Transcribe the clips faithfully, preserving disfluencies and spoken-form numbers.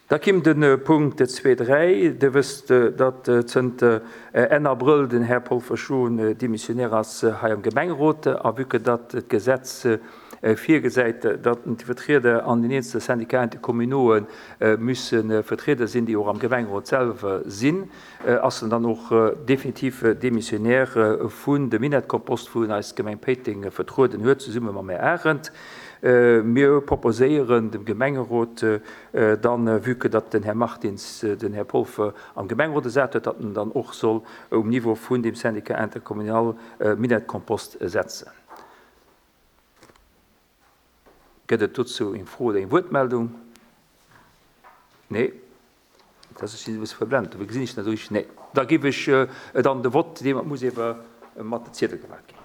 Da kimm de Punkt zwee, dräi. Dir wësst, datt zënter Enn Abrëll den Här Paul Verschoen Demissionnaire ass hei am Gemengerot. A vue que datt d'Gesetz virgesäit, datt déi Vertrieder an den eenzele Syndicats intercommunaux'e müsse vertriede sinn, déi och am Gemengerot selwer sinn, ass en dann och definitiv Demissionnaire vun dem Minett-Kompost, wou en eis Gemeng Péiteng vertrueden huet, zesumme mam Här Arendt. Mir proposéieren dem Gemengerot dann, vue que datt den Här Martins den Här Polfer am Gemengerot ersat huet, datt en dann och soll um Niveau vun deem Syndicat intercommunal Minett-Kompost setzen. Gëtt et dozou eng Fro oder eng Wuertmeldung? Nee. Dat ass, ech sinn e bësse verblent, dofir gesinn ech net esou richteg. Nee. Da géif ech dann de Vott, dee muss ewer mat de Ziedel gemaach ginn.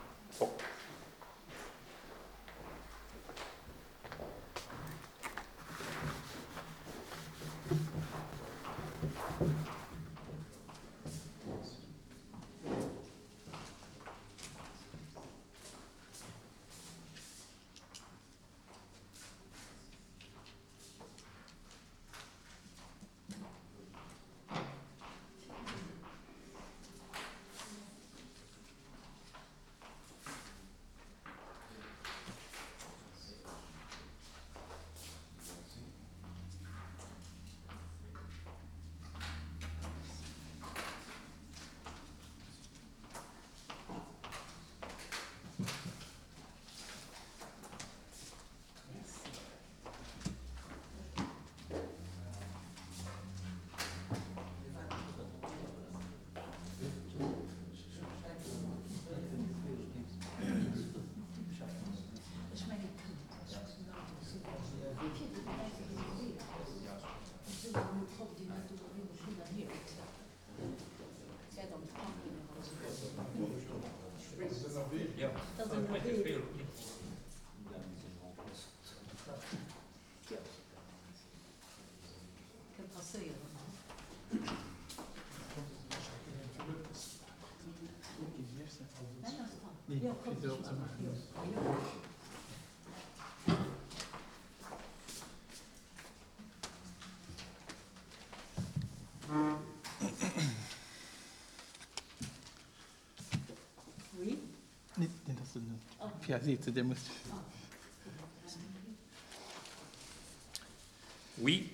Oui,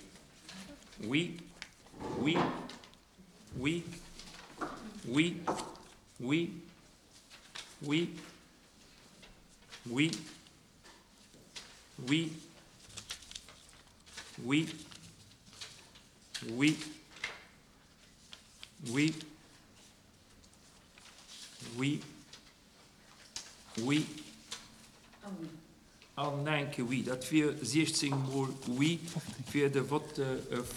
oui, oui, oui, oui, oui, oui, oui, oui, oui, oui, oui, oui, oui an enke Oui. Dat wier siechzéng mol Oui fir de Vote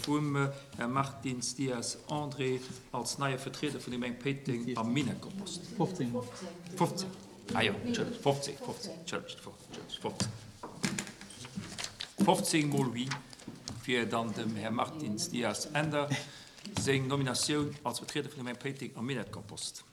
vum Här Martins Dias André als neie Vertrieder vun der Gemeng Péiteng am Minetkompost. fofzéng. fofzéng. Ah jo, Entschëllegt, fofzéng, fofzéng, Entschëllegt, fofzéng. fofzéng mol Oui fir dann dem Här Martins Dias Änder seng Nominatioun als Vertrieder vun der Gemeng Péiteng am Minetkompost.